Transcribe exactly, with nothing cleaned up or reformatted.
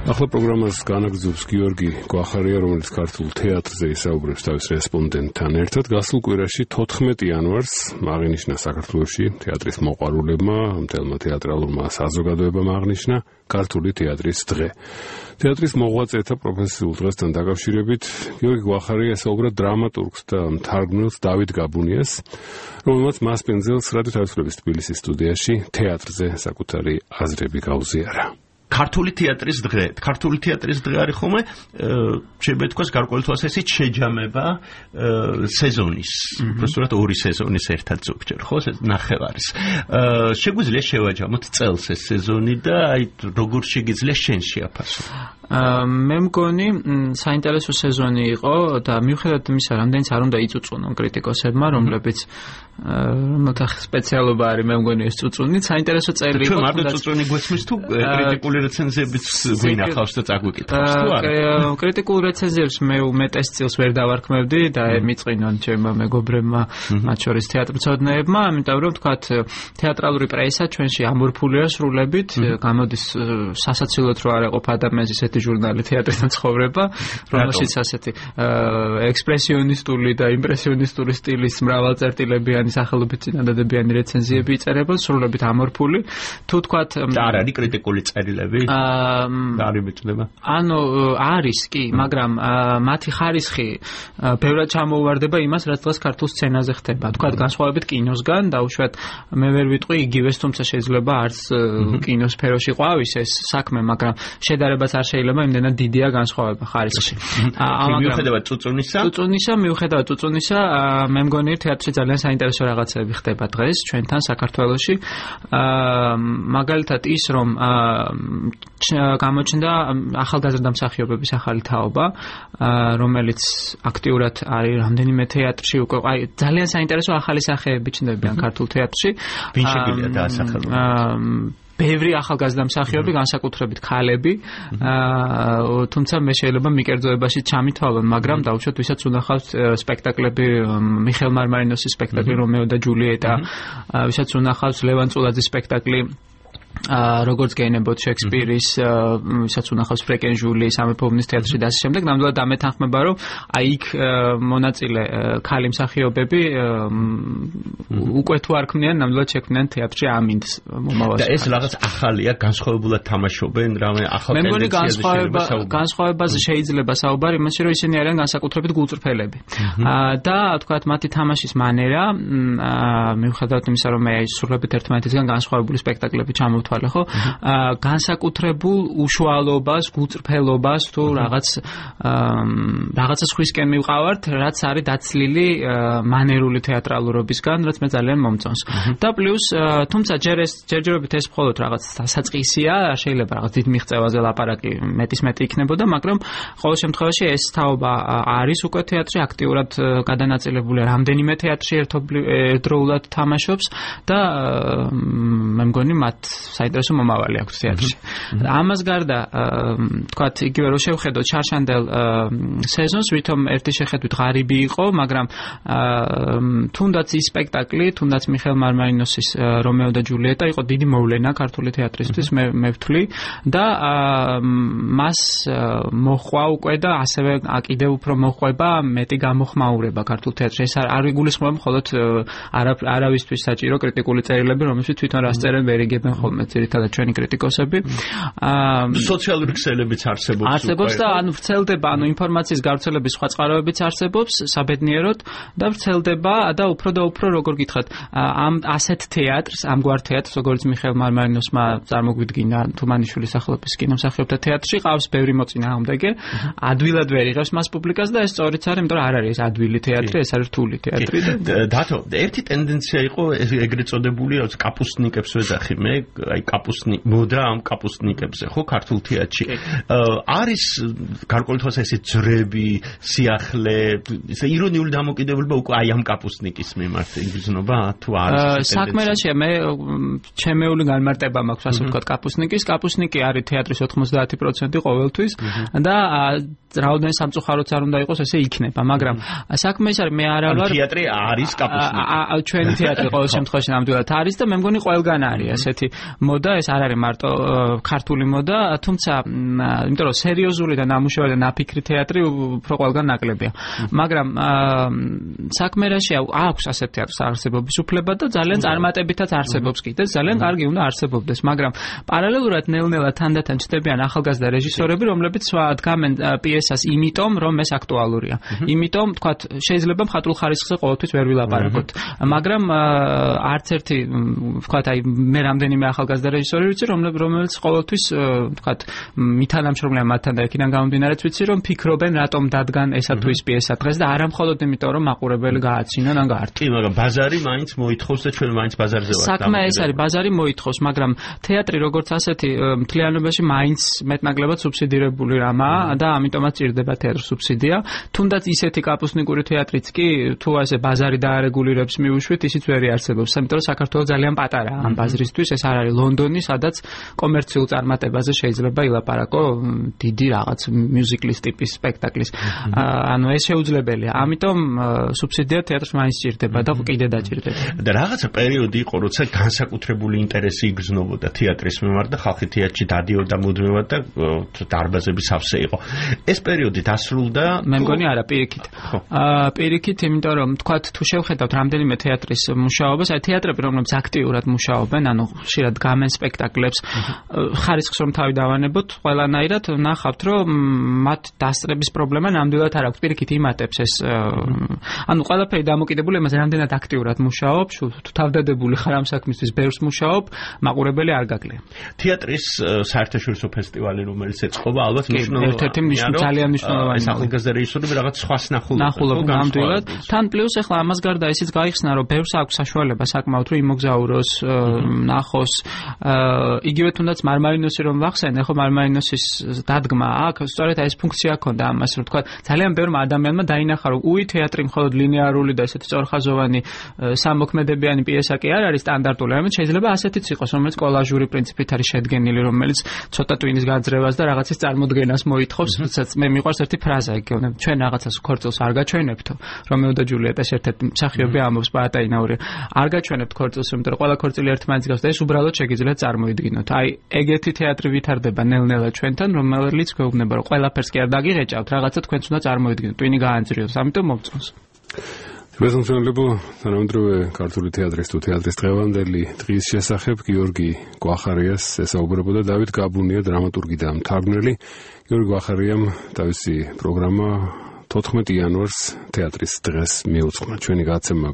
ახლა პროგრამას განაგრძობს გიორგი გვახარია, რომელიც ქართულ თეატრზე ისაუბრებს თავის რესპონდენტთან ერთად. გასულ კვირაში თოთხმეტი იანვარს აღინიშნა საქართველოში თეატრის მოყვარულებმა, მთელმა თეატრალურმა საზოგადოებამ აღნიშნა ქართული თეატრის დღე. თეატრის მოღვაწეთა პროფესიულ დღესთან დაკავშირებით გიორგი გვახარია ესაუბრა დრამატურგს და მთარგმნელს დავით გაბუნიას, რომელმაც მასპინძელს რადიოთარგმნების თბილისის სტუდიაში თეატრზე საკუთარი აზრები გაუზიარა. ქართული თეატრის დღე. ქართული თეატრის დღე არის ხომ შეიძლება ითქვას გარკვეული თვალსაზრისით შეჯამება სეზონის. უბრალოდ ორი სეზონის ერთად ზოგჯერ, ხო, ნახევარის. შეგვიძლია შევაჯამოთ წელს ეს სეზონი და აი როგორ შეგიძლია შენ შეაფასო. მე მგონი საინტერესო სეზონი იყო და მიუხედავად იმისა, რამდენიც არ უნდა იწუწუნონ κρიტიკოსებმა, რომლებიც რომელთა სპეციალობა არის, მე მგონი ეს წუწუნი, საინტერესო წელი იყო. ჩვენ მარტო წუწუნი გვესმის თუ კრიტიკული რეცენზიებიც გვინახავს და წაგვიკითხავს თუ არა? კრიტიკულ რეცენზიებს მე უმეტეს წილს ვერ დავარქმევდი და მიწყინონ ჩემმა მეგობრებმა, მათ შორის თეატრმცოდნეებმა, ამიტომ რომ ვთქვათ, თეატრალური პრესა ჩვენში ამორფულია სრულებით, გამოდის სასაცილოდ რო არ ეყოფ ადამიანს ისეთი ჟურნალი თეატრთან ცხოვრება, რომელშიც ასეთი ექსპრესიონისტული და იმპრესიონისტული სტილის მრავალწერტილებიანი სახელობით წინადადებიანი რეცენზიები იწერება, სრულებით ამორფული. თუ თქვათ არ არის კრიტიკული წერილები? არის მეწდება? ანუ არის კი, მაგრამ მათი ხარისხი ბევრად ჩამოუვარდება იმას, რაც დღეს ქართულ სცენაზე ხდება. თქვათ განსხვავებით კინოსგან, დაუშვათ მე ვერ ვიტყვი იგივეს, თუმცა შეიძლება არც კინოსფეროში ყვავის ეს საქმე, მაგრამ შედარებაც არ შეიძლება იმდენად დიდია განსხვავება ხარისხში. მიუხედავად წუწუნისა? წუწუნისა, მიუხედავად წუწუნისა, მე მგონი თეატრში ძალიან საინტერესო რაღაცები ხდება დღეს ჩვენთან საქართველოში. მაგალითად ის, რომ გამოჩნდა ახალგაზრდა მსახიობების ახალი თაობა, რომელიც აქტიურად არის რამდენიმე თეატრში უკვე, აი ძალიან საინტერესო ახალი სახეები ჩნდებიან ქართულ თეატრში. ვინ შეგვიძლია დაასახელოს? ბევრი ახალგაზრდა მსახიობი, განსაკუთრებით ქალები, თუმცა მე შეიძლება მიკერძოებაში ჩამითვალონ, მაგრამ დაუშვათ ვისაც უნახავთ სპექტაკლები, მიხეილ მარმარინოსის სპექტაკლი რომეო და ჯულიეტა, ვისაც უნახავთ ლევან წულაძის სპექტაკლი როგორც გეინებოდ შექსპირის, ვისაც უნახავს ფრეკენჟული, სამეფო ომის თეატრში და ასე შემდეგ, ნამდვილად დამეთანხმება, რომ აი იქ მონაწილე ქალი მსახიობები უკვე თუ არ ქმნიან, ნამდვილად შექმნიან თეატრში ამინდს მომავალში. და ეს რაღაც ახალია, განსხვავებულად თამაშობენ, რამე ახალ ტენდენციაზე შეიძლება საუბარი. განსხვავებაზე შეიძლება საუბარი იმაში, რომ ისინი არიან განსაკუთრებით გულწრფელები. და თქვათ მათი თამაშის მანერა, მიუხედავად იმისა, რომ მე სრულებით ერთმანეთისგან განსხვავებული სპექტაკლები ჩამოვთვალე, ხო? განსაკუთრებულ უშუალობას, გულწრფელობას თუ რაღაც რაღაცა სხვისკენ მივყავართ, რაც არის დაცლილი მანერული თეატრალურობისგან, რაც მე ძალიან მომწონს. და პლუს, თუმცა ჯერ ეს ჯერჯერობით ეს მხოლოდ რაღაც დასაწყისია, შეიძლება რაღაც დიდ მიღწევაზე ლაპარაკი მეტისმეტი იქნებოდა, მაგრამ ყოველ შემთხვევაში ეს თაობა არის უკვე თეატრში აქტიურად გადანაწილებული, რამდენიმე თეატრში ერთდროულად თამაშობს და მე მგონი მათ საინტერესო მომავალი აქვს თეატრში. ამას გარდა, თქვათ, იგივე რო შევხედოთ შარშანდელ სეზონს, ვითომ ერთი შეხედვით ღარიბი იყო, მაგრამ თუნდაც ის სპექტაკლი, თუნდაც მიხეილ მარმარინოსის რომეო და ჯულიეტა იყო დიდი მოვლენა ქართული თეატრისთვის, მე მე ვთვლი და მას მოხვა უკვე და ასევე კიდევ უფრო მოხვება მეტი გამოხმაურება ქართულ თეატრში. ეს არ იგულისხმება მხოლოდ არავისთვის საჭირო კრიტიკული წერილები, რომელშიც თვითონ რას წერენ ვერ იგებენ ხოლმე ძირითადად ჩვენი კრიტიკოსები. სოციალური ქსელებიც არსებობს. არსებობს და ანუ ვრცელდება, ანუ ინფორმაციის გავრცელების სხვა წყაროებიც არსებობს საბედნიეროდ და ვრცელდება და უფრო და უფრო როგორ გითხრათ, ამ ასეთ თეატრს, ამგვარ თეატრს, როგორც მიხეილ მარმარინოსმა წარმოგვიდგინა თუმანიშვილის სახელობის კინომსახიობთა თეატრში, ყავს ბევრი მოწინააღმდეგე, ადვილად ვერ იღებს მას პუბლიკას და ეს სწორიც არის, იმიტომ რომ არ არის ეს ადვილი თეატრი, ეს არის რთული თეატრი. დათო, ერთი ტენდენცია იყო ეგრეთ წოდებული კაპუსტნიკებს ვეძახი მე, აი კაპუსტნი მოდა ამ კაპუსტნიკებზე, ხო, ქართულ თეატრში. არის გარკვეული თვალსაზრისით ძრები, სიახლე, ეს ირონიული დამოკიდებულება უკვე აი ამ კაპუსტნიკის მიმართ იგრძნობა თუ არის? საქმე რაშია, მე ჩემეული განმარტება მაქვს, ასე ვთქვათ, კაპუსტნიკის. კაპუსტნიკი არის თეატრის ოთხმოცდაათი პროცენტი ყოველთვის და რაოდენობის სამწუხაროც არ უნდა იყოს, ესე იქნება, მაგრამ საქმე ის არის, მე არა ვარ თეატრი არის კაპუსტნიკი. ჩვენი თეატრი ყოველ შემთხვევაში ნამდვილად არის და მე მგონი ყველგან არის ასეთი მოდა, ეს არ არის მარტო ქართული მოდა, თუმცა იმიტომ რომ სერიოზული და ნამუშევარი და ნაფიქრი თეატრი უფრო ყველგან ნაკლებია. მაგრამ საქმე რაშია, აქვს ასეთ თეატრს არსებობის უფლება და ძალიან წარმატებითაც არსებობს კიდე, ძალიან კარგი უნდა არსებობდეს, მაგრამ პარალელურად ნელ-ნელა თანდათან ჩნდებიან ახალგაზრდა რეჟისორები, რომლებიც დგამენ პიესას იმიტომ, რომ ეს აქტუალურია. იმიტომ, თქვათ, შეიძლება მხატვრულ ხარისხზე ყოველთვის ვერ ვილაპარაკოთ, მაგრამ არც ერთი, თქვათ, აი მე რამდენიმე ახალგაზრდა რეჟისორი ვიცი, რომელიც ყოველთვის, თქვათ, მითანამშრომლია მათთან და იქიდან გამომდინარეც ვიცი, რომ ფიქრობენ, რატომ დადგან ესა თუ ის პიესა დღეს და არა მხოლოდ იმიტომ, რომ მაყურებელი გააცინონ ან გაართო. კი, მაგრამ ბაზარი მაინც მოითხოვს და ჩვენ მაინც ბაზარზე ვართ. საქმე ეს არის, ბაზარი მოითხოვს, მაგრამ თეატრი როგორც ასეთი მთლიანობაში მაინც მეტნაკლებად სუბსიდირებული რამაა და ამიტომაც ჭირდება თეატრ სუბსიდია. თუნდაც ისეთი კაპუსნიკური თეატრიც კი, თუ ასე ბაზარი დაარეგულირებს მიუშვით, ისიც ვერ არსებობს. იმიტომ რომ საქართველოს ძალიან პატარაა ამ ბაზრისთვის, ეს არ არის ლონდონი, სადაც კომერციულ წარმატებაზე შეიძლება ილაპარაკო დიდი რაღაც მიუზიკლის ტიპის სპექტაკლის. ანუ ეს შეუძლებელია. ამიტომ სუბსიდია თეატრს მაინც ჭირდება და კიდე დაჭირდება. და რაღაცა პერიოდი იყო, როცა განსაკუთრებული ინტერესი იგრძნობოდა თეატრის მიმართ და ხალხი თეატრში დადიოდა მუდმივად და დარბაზები სავსე იყო. ეს პერიოდი დასრულდა. მე მგონი არა, პირიქით. აა პირიქით, იმიტომ რომ თქვათ, თუ შევხედავთ რამდენიმე თეატრის მუშაობას, აი თეატრები, რომლებიც აქტიურად მუშაობენ, ანუ ხშირად გამენ სპექტაკლებს, ხარისხს რომ თავი დავანებოთ, ყველანაირად ნახავთ, რომ მათ დასწრების პრობლემა ნამდვილად არ აქვს. პირიქით იმატებს ეს ანუ ყველაფერი დამოკიდებული იმაზე, რამდენად აქტიურად მუშაობ, თუ თავდადებული ხარ ამ საქმისთვის, ბევრს მუშაობ, მაყურებელი არ გაკლია. თეატრის საერთაშორისო ფესტივალი, რომელიც ეწყობა, ალბათ მნიშვნელოვანია. ერთ-ერთი ძალიან მნიშვნელოვანი. ეს ახალგაზრდა რეჟისორები რაღაც სხვას ნახულობენ. ნახულობენ ნამდვილად. თან პლუს ახლა ამას გარდა ისიც გაიხსნა, რომ ბევრს აქვს საშუალება საკმაოდ რომ იმოგზაუროს, ნახოს. იგივე თუნდაც მარმარინოსი რომ ვახსენე, ხო მარმარინოსის დადგმა აქ, სწორედ ეს ფუნქცია ჰქონდა ამას, რომ თქვა ძალიან ბევრმა ადამიანმა დაინახა, რომ უი თეატრი მხოლოდ ლინეარული და ესეთი სწორხაზოვანი სამოქმედებიანი პიესა კი არ არის სტანდარტული, ამით შეიძლება ასეთიც იყოს, რომელიც კოლაჟური პრინციპით არის შედგენილი, რომელიც ცოტა ტვინის გაძრევას და რაღაცის წარმოდგენას მოითხოვს, როდესაც მე მიყვარს ერთი ფრაზა იგივე, ჩვენ რაღაცას ქორწილს არ გაჩვენებთო, რომეო და ჯულიეტას ერთ-ერთი მსახიობი ამბობს პაატაინაური, არ გაჩვენებთ ქორწილს, იმიტომ რომ ყველა ქორწილი ერთმანეთს გავს და ეს უბრალოდ შეგიძლიათ წარმოიდგინოთ. აი, ეგეთი თეატრი ვითარდება ნელ-ნელა ჩვენთან, რომელიც გვეუბნება, რომ ყველაფერს კი არ დაგიღეჭავთ, რაღაცა თქვენც უნდა წარმოიდგინოთ, ტვინი გაანძრიოს, ამიტომ მომწონს. მესამშენებო თანამედროვე ქართული თეატრის თუ თეატრის დღევანდელი დღის შესახებ გიორგი გვახარიას ესაუბრებოდა დავით გაბუნია, დრამატურგი და მთარგმნელი. გიორგი გვახარიამ თავისი პროგრამა თოთხმეტი იანვარს თეატრის დღეს მიუძღვნა. ჩვენი გაცემა